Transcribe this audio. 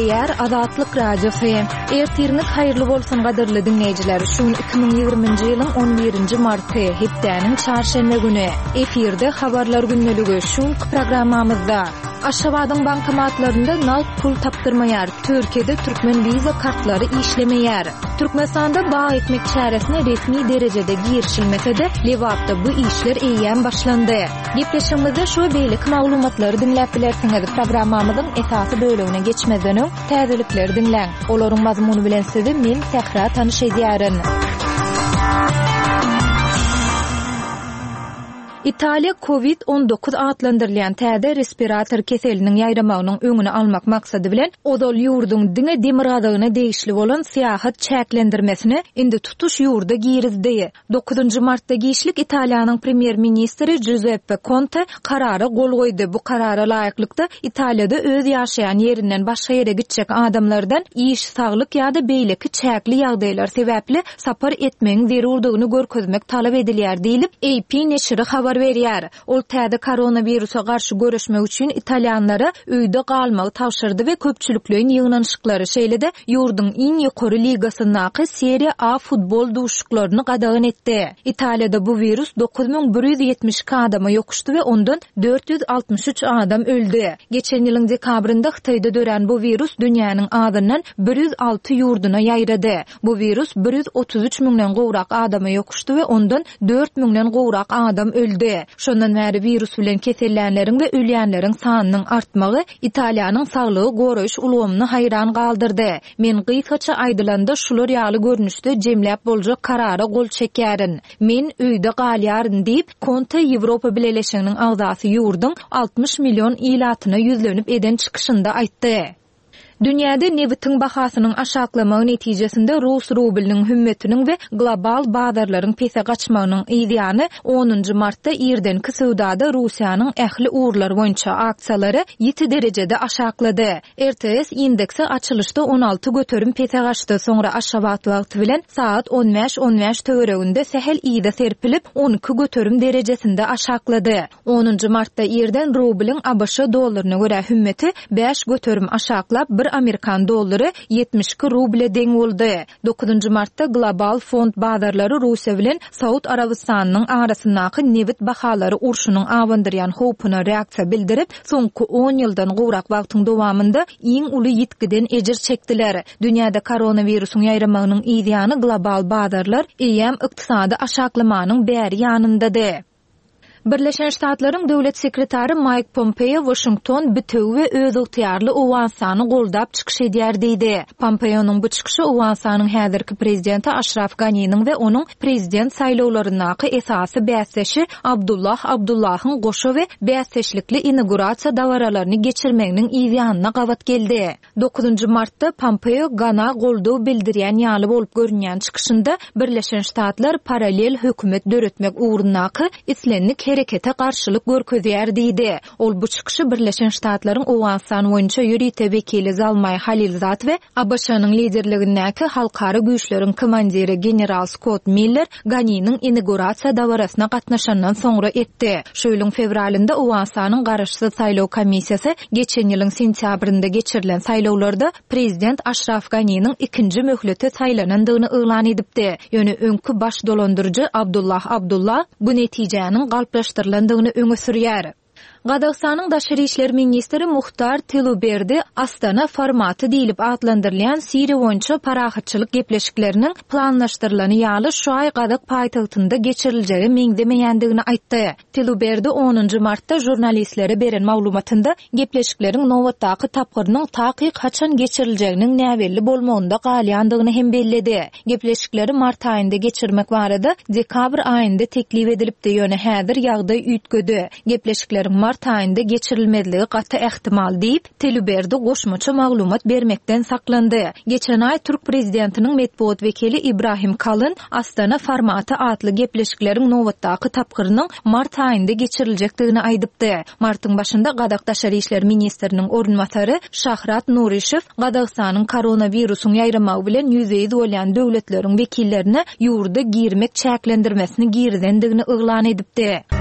Gepleýär Azatlyk Radiosy. Ertiriňiz haýyrly bolsun gadyrly diňleýjiler. Şu gün 2020-nji ýylyň 11-nji marty, hepdäniň çarşenbe güni. Efirde habarlar gündeligi şu günki programmamyzda. Aşgabadyň bankomatlarynda nagt pul tapdyrmaýar, Türkiýede türkmen wiza kartlary işlemeýär. Türkmenistanda bag ekmek çäresine resmi derejede girişilmese-de, Lebapda bu işler eýýäm başlandy. Gepleşigimizde şu we beýleki maglumatlary diňläp bilersiňiz. Programmamyzyň esasy bölegine geçmezden öň, täzelikleri diňläň. Olaryň mazmuny bilen sizi men, Sähra tanyş edýärin. Italiýa Covid 19 atlandyrylýan täze respirator keseliniň ýaýramagynyň öňüni almak maksady bilen, ozal ýurduň diňe demirgazygyna degişli bolan syýahat çäklendirmesini indi tutuş ýurda girizdi. Dokuzynjy martda giçlik Italiýanyň premýer-ministri Juzeppe Konte karara gol goýdy. Bu karara laýyklykda, Italiýada öz ýaşaýan ýerinden başga ýere gitjek adamlardan iş, saglyk ýa-da beýleki çäkli ýagdaýlar sebäpli sapar etmegiň zerurdygyny görkezmek talap edilýär diýlip, AP neşiri habar berýär. Ol täze koronawirusa garşy göreşmek üçin italýanlara öýde galmagy tabşyrdy we köpçülikleýin ýygnanyşyklary, şeýle-de ýurduň iň ýokary ligasyndaky Serie A futbol duşuşyklaryny gadagan etdi. Italiýada bu wirus 9172 adama ýokuşdy we ondan 463 adam öldi. Geçen ýylyň dekabrynda Hytaýda dörän bu wirus dünýäniň azyndan 106 ýurduna ýaýrady. Bu wirus 133 müňden gowrak adama ýokuşdy we ondan dört müňden gowrak adam öldi. Şondan bäri wirus bilen kesellänleriň we ölýänleriň sanynyň artmagy Italiýanyň saglygy goraýyş ulgamyny haýran galdyrdy. Men gysgaça aýdylanda şular ýaly görnüşde jemläp boljak karara gol çekýärin. Men öýde galýaryn diýip, Konte Ýewropa Bileleşiginiň agzasy ýurduň 60 million ilatyna ýüzlenip eden çykyşynda aýtdy. Dünýäde nebitiň bahasynyň aşaklamagy netijesinde rus rublynyň hümmetiniň we global bazarlaryň pese gaçmagynyň yz ýany, onunjy martda irdenki söwdada Russiýanyň ähli ugurlar boýunça aksiýalary ýiti derejede aşaklady. RTS indeksi açylyşda 16% pese gaçdy, soňra Aşgabat wagty bilen sagat on bäş on bäş töwereginde sähel yza serpilip, 12% derejesinde aşaklady. Onunjy martda irden rublyň ABŞ dollaryna görä hümmeti 5% aşaklap, bir amerikan dollary 72 ruble deň boldy. Dokuzynjy martda global fond bazarlary Russiýa bilen Saud Arabystanynyň arasyndaky nebit bahalary urşunyň abandyrýan howpuna reaksiýa bildirip, soňky on ýyldan gowrak wagtyň dowamynda iň uly ýitgiden ejir çekdiler. Dünýäde koronawirusyň ýaýramagynyň yzýany global bazarlar eýýäm ykdysady aşaklamanyň bäri ýanyndady. Birleşen Ştatlaryň Döwlet sekretary Maýk Pompeo Waşington bitewi we özygtyýarly Owganystany goldap çykyş edýär diýdi. Pompeonyň bu çykyşy Owganystanyň häzirki prezidenti Aşraf Ganiniň we onuň prezident saýlawlaryndaky esasy bäsdeşi Abdullah Abdullahyň goşa we bäsdeşlikli inagurasiýa dabaralaryny geçirmeginiň yzýanyna gabat geldi. Dokuzynjy martda Pompeo Gana goldaw bildirýän ýaly bolup görünýän çykyşynda Birleşen Ştatlar parallel hökümet döretmek ugrundaky islendik herekete garşylyk görkezýär diýdi. Ol bu çykyşy Birleşen Ştatlaryň Owganystan boýunça ýörite wekili Zalmaý Halilzad we ABŞ-nyň liderligindäki halkara güýçleriň komandiri general Skott Miller Ganiniň inagurasiýa dabarasyna gatnaşandan soňra etdi. Şu ýylyň fewralynda Owganystanyň garaşsyz saýlaw komissiýasy geçen ýylyň sentýabrynda geçirilen saýlawlarda prezident Aşraf Ganiniň ikinji möhlete saýlanandygyny yglan edipdi. Ýöne öňki baş dolandyryjy Abdullah Abdullah bu netijäniň galplaşdyrylandygyny öňe sürýär. Gazagystanyň daşary işler ministri Muhtar Tiluberdi Astana formaty diýlip atlandyrylýan Siriýa boýunça parahatçylyk gepleşikleriniň planlaşdyrylany ýaly şu aý gazak paýtagtynda geçiriljege meňzemeýändigini aýtdy. Tiluberdi onunjy martda žurnalistlere beren maglumatynda gepleşikleriň nobatdaky tapgyrynyň takyk haçan geçiriljeginiň näbelli bolmagynda galýandygyny hem belledi. Gepleşikleri mart aýynda geçirmek barada dekabr aýynda teklip edilipdi, ýöne häzir ýagdaý üýtgedi. Gepleşikleriň mart aýynda geçirilmezligi gaty ähtimal diýip, Telüberdi goşmaça maglumat bermekden saklandy. Geçen aý türk prezidentiniň metbugat wekili Ibrahim Kalyn Astana formaty atly gepleşikleriň nobatdaky tapgyrynyň mart aýynda geçiriljekdigini aýdypdy. Martyň başynda gazak daşary işler ministriniň orunbasary Şahrat Nurişew Gazagystanyň koronawirusyň ýaýramagy bilen ýüzbe-ýüz bolýan döwletleriň wekillerine ýurda girmek çäklendirmesini girizendigini yglan edipdi.